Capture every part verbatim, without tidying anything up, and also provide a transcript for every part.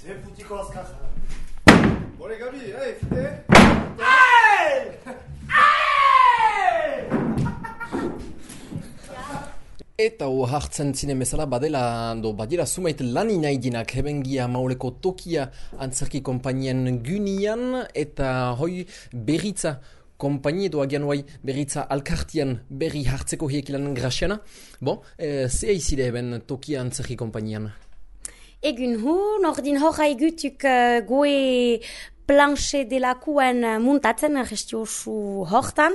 Ze putiko azkaja. Bore gabi, ei, fite? Ei! Ei! Eta ho hartzen zinen bezala badela, do badira sumait lan inaidinak hebengia mauleko tokia antzerki konpainien gynian eta hoi berritza kompainie edo agian hoai berritza alkartian berri hartzeko hiekilan grasiana. Bon, e, ze aizide eben tokia antzerki konpainian? Egun hu, nordin hor haigutuk uh, goe planche delakuen muntatzen gestiosu hortan,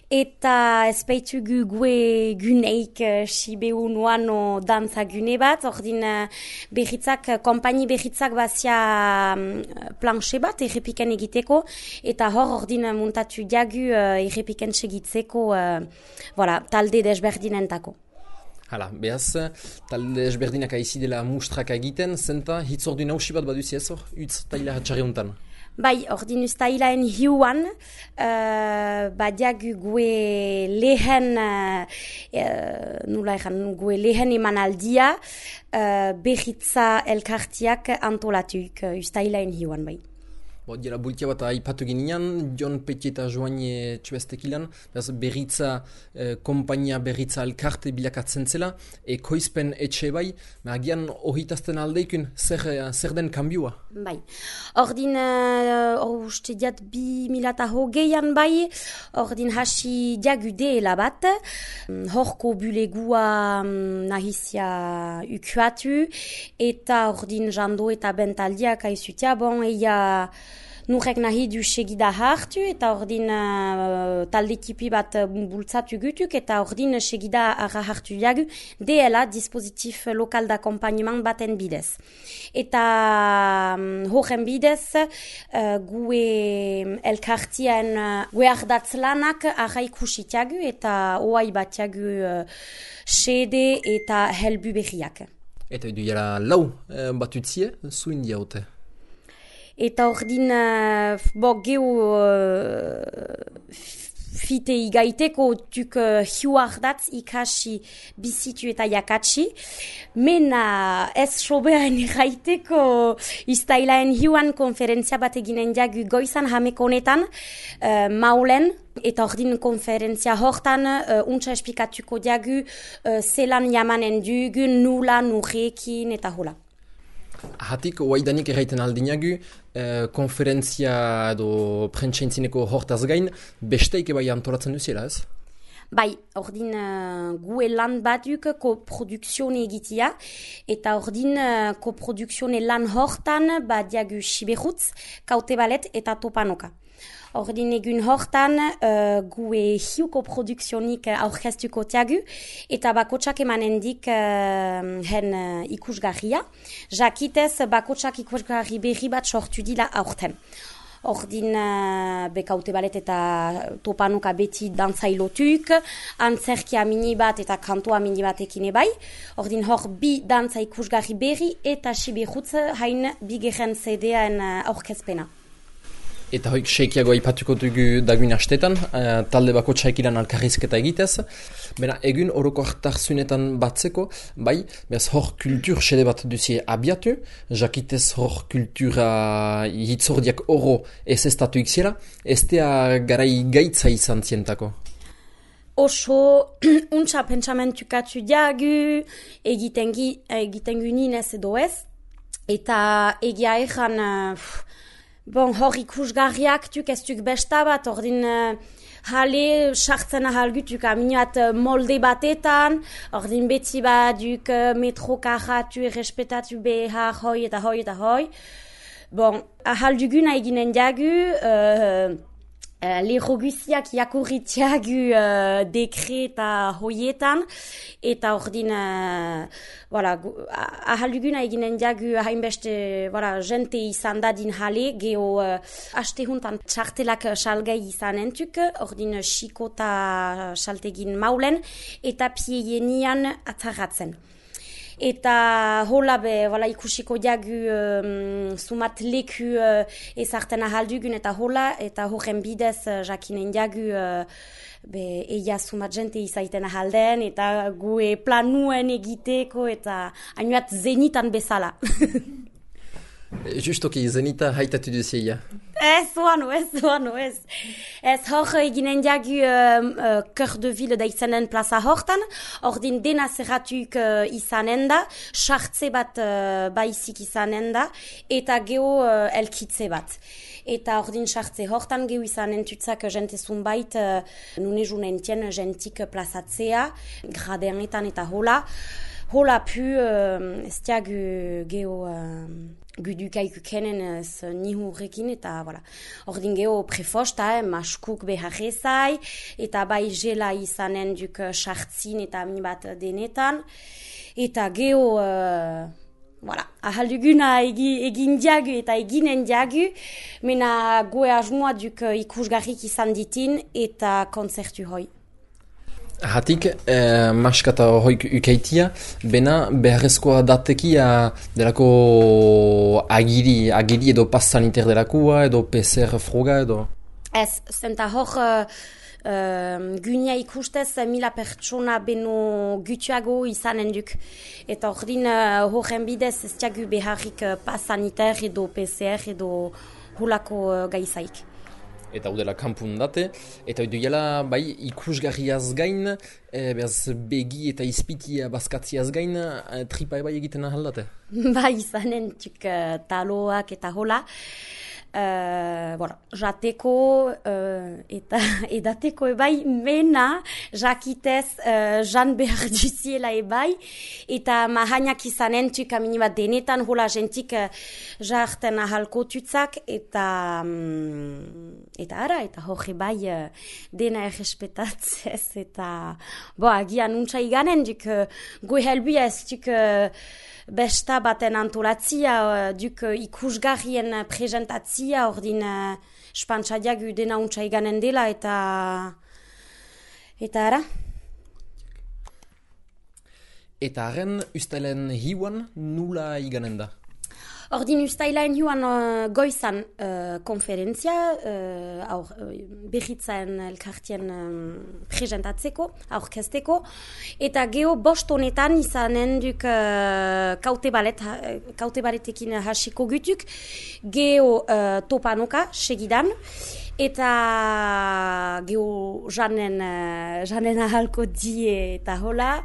eta ezpeitugu gue guneik uh, sibeu nuano dantza gune bat, ordin uh, berritzak, kompaini berritzak bazia um, planche bat errepiken egiteko, eta hor ordin muntatu diagu uh, errepiken segitzeko uh, voilà, talde desberdinentako. Hala, behaz, talde ezberdinak aizi dela mustrak egiten, zenta hitzordu nausi bat baduzi ez hor, utz taila hatxarri hontan. Bai, ordin ustailaen hiuan, uh, badiagu gue lehen, uh, nula egan, gue lehen emanaldia, uh, berritza elkartiak antolatuik uh, ustailaen hiuan, bai. Bo, dira bultia bat aipatu ginean, Jon Petit eta Joaine txubestekilan, berritza, eh, kompainia berritza elkarte bilakatzen zela, ekoizpen etxe bai, agian ohitazten aldeikun, zer, zer den kanbioa? Bai, ordin, uh, uste diat bi milata hogeian bai, ordin hasi diagudeela bat, horko bulegua um, nahizia ukuatu, eta ordin jando eta bentaldiak aizutia, bon, eia nurek nahi du segida hartu, eta ordin uh, talde tipi bat bultzatu gutuk, eta ordin segida arra hartu diagu, deela dispositif lokal d'akompagnement baten bidez. Eta um, horren bidez, uh, gue elkartien uh, gue ardatz lanak arra ikusitiagu, eta oai batiagu uh, sede eta helbu berriak. Eta edu jara lau eh, batutzie, zuin diaute. Eta ordin, uh, bo, geho uh, fite igaiteko tuk uh, hiuardatz ikasi bizitu eta jakatsi. Mena ez sobean igaiteko iztailaen hiuan konferentzia bat eginen diagu goizan hameko honetan, uh, maulen, eta ordin konferentzia hortan uh, untsa esplikatuko diagu uh, zelan jamanen dugun, nula, nurekin eta hola. Hatik, oaidanik erraiten aldinagu, eh, konferentzia edo prentsaintzineko hortaz gain, besteik ebai antolatzen duziela ez? Bai, ordin uh, gue lan batuk koprodukzione egitia, eta ordin uh, koprodukzione lan hortan badiagu siberutz, kaute balet eta topanoka. Ordin egun hortan uh, gue hiuko produkzionik aurkeztuko tiagu, eta bakotsak emanendik uh, hen uh, ikusgarria. Jakitez bakotsak ikusgarri berri bat sortu dila aurten. Ordin uh, bekaute balet eta topanoka beti dantzailotuk, antzerkia mini bat eta kantoa mini batekin ebai. Ordin hor bi dantza ikusgarri berri eta siberutz hain bigeren zedean uh, aurkezpena. Eta hoik seikiago aipatuko dugu daguin astetan, uh, talde bako txaikilan alkarrizketa egitez. Bena, egun oroko hartarzunetan batzeko, bai, behaz hor kultur sede bat duzie abiatu, jakitez hor kultura hitzordiak oro ez estatu iksiera, ez tea garai gaitza izan zientako. Oso, untsa pentsamentukatu diagu, egiten ninez edo ez, eta egia egan... Uh, Bon, hor ikusgarriak tuk ez tuk besta bat, ordin uh, jale sartzen ahalgutuk aminoat uh, molde batetan, ordin beti bat duk uh, metro karatu errespetatu behar hoi eta hoi eta hoi. Bon, ahalduguna eginen diagu, uh, uh, lero guziak jakurritiagu uh, dekreta hoietan, eta ordin, uh, voilà, ahalduguna eginen diagu hainbeste, voilà, jente izan dadin jale, geho uh, aste huntan txartelak salgai izan entuk, ordin xiko eta saltegin maulen, eta pieienian atzarratzen. Eta hola be, voilà, ikusiko diagu um, sumat leku uh, ezarten ahaldugun eta hola, eta horren bidez uh, jakinen diagu uh, be, eia sumat jente izaiten ahalden, eta gue planuen egiteko, eta hainoat zenitan bezala. Justoki, zenita haitatu duzia. Ez, oano, ez, oano, ez. Ez hor eginen diagu uh, uh, Cœur de Ville da izanen plaza hortan, ordin dena zerratuk uh, izanen da, sartze bat uh, baizik izanen da, eta geho uh, elkitze bat. Eta ordin sartze hortan geho izanen tutzak jentezun bait, uh, nune junentien jentik plazatzea, gradenetan eta hola. Hola pu, uh, ez diagu geho... Uh, Gudukaik kenen ez nihu rekin eta voilà. Ordin geho prefosta, eh, maskuk beharrezai, eta bai jela izanen duk sartzin eta mi bat denetan. Eta geho, uh, voilà, ahalduguna egi, egin diagu eta eginen diagu, mena goe asmoa duk ikusgarrik izan ditin eta konzertu hoi. Hatik, eh, maskata hoik ukeitia, bena beharrezkoa datekia delako agiri, agiri edo pas saniter delakua, edo P C R froga edo? Ez, zenta hor uh, uh, gunia ikustez mila pertsona beno gutuago izanen duk. Eta ordin uh, horren bidez ez diagu beharrik uh, pas saniter edo P C R edo hulako uh, gaizaik. Eta udela kanpun date, eta edo jela bai ikusgarriaz gain, e, behaz begi eta izpitia bazkatziaz gain, e, tripa bai egiten ahaldate? Bai izanen tuk uh, taloak eta hola. Uh, voilà, jateko uh, eta edateko ebai mena jakitez uh, jan behar duziela ebai eta mahainak izanen tuk amini bat denetan hola jentik uh, jarten ahalko tutzak eta um, eta ara eta hori bai uh, dena errespetatzez eta bo agian untsa iganen duk uh, goe helbia ez tuk uh, besta baten antolatzia, uh, duk uh, ikusgarrien uh, presentatzia, ordin uh, spantzadiak dena untsa iganen dela, eta eta ara. Eta haren ustailen hiuan nula iganen da? Ordin ustailaen joan uh, goizan uh, konferentzia, uh, aur, uh, berritzaen elkartien um, presentatzeko, aurkezteko, eta geho bost honetan izanen duk uh, kaute balet, uh, kaute baletekin hasiko gutuk, geho uh, topanoka segidan, eta geho janen, uh, janen ahalko die eta hola,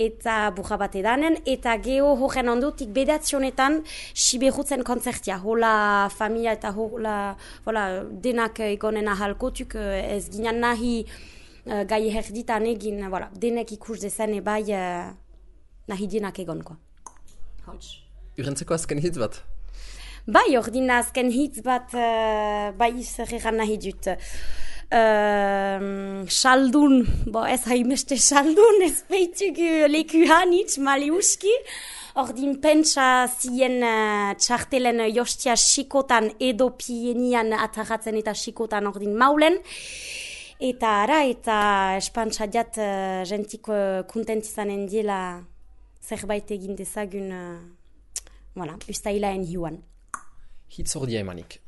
eta burra bat edanen, eta geho horren ondutik bedatzionetan siberutzen konzertia, hola familia eta hola, hola denak egonen ahalkotuk, ez ginen nahi uh, gai herditan egin, voilà, denek ikus dezen ebai uh, nahi denak egonko. Urentzeko azken hitz bat? Bai, ordin azken hitz bat uh, bai zerregan nahi dut. Uh, Saldun, bo ez haimeste saldun, ez beituk leku hanitz, maliuski. Ordin pentsa zien uh, txartelen jostia xikotan edo pienian atarratzen eta xikotan ordin maulen. Eta ara, eta espantzadiat uh, jentik uh, kontent izanen diela zerbait egin dezagun, uh, voilà, ustailaen hiuan. Hitz ordia emanik.